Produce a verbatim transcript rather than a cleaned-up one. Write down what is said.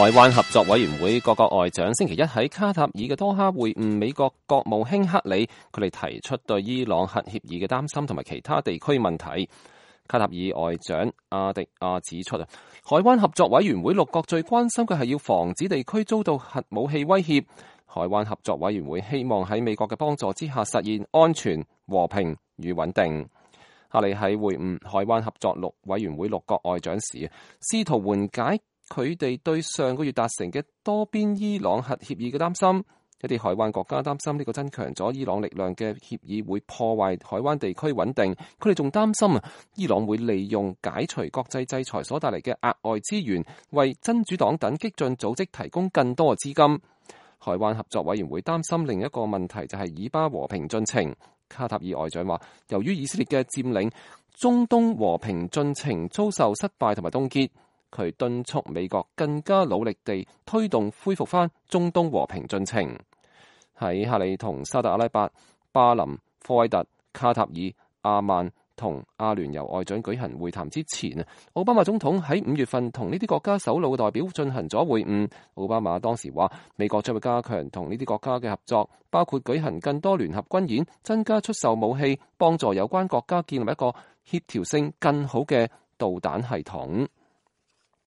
海灣合作委員會各國外長星期一喺卡塔爾嘅多哈會晤美國國務卿克里，佢哋提出對伊朗核協議嘅擔心同埋其他地區問題。卡塔爾外長阿迪亞指出啊，海灣合作委員會六國最關心嘅係要防止地區遭到核武器威脅。海灣合作委員會希望喺美國嘅幫助之下實現安全、和平與穩定。克里喺會晤海灣合作六委員會六國外長時，試圖緩解佢哋對上個月達成嘅多邊伊朗核協議嘅擔心。一啲海灣國家擔心呢個增強咗伊朗力量嘅協議會破壞海灣地區穩定。佢哋仲擔心啊，伊朗會利用解除國際制裁所帶嚟嘅額外資源，為真主黨等激進組織提供更多嘅資金。海灣合作委員會擔心另一個問題就係以巴和平進程。卡塔爾外長話，由於以色列嘅佔領，中東和平進程遭受失敗同埋凍結。佢敦促美國更加努力地推動恢復翻中東和平進程。喺克里同沙特阿拉伯、巴林、科威特、卡塔爾、阿曼同阿聯酋外長舉行會談之前啊，奧巴馬總統喺五月份同呢啲國家首腦嘅代表進行咗會晤。奧巴馬當時話，美國將會加強同呢啲國家嘅合作，包括舉行更多聯合軍演、增加出售武器，幫助有關國家建立一個協調性更好嘅導彈系統。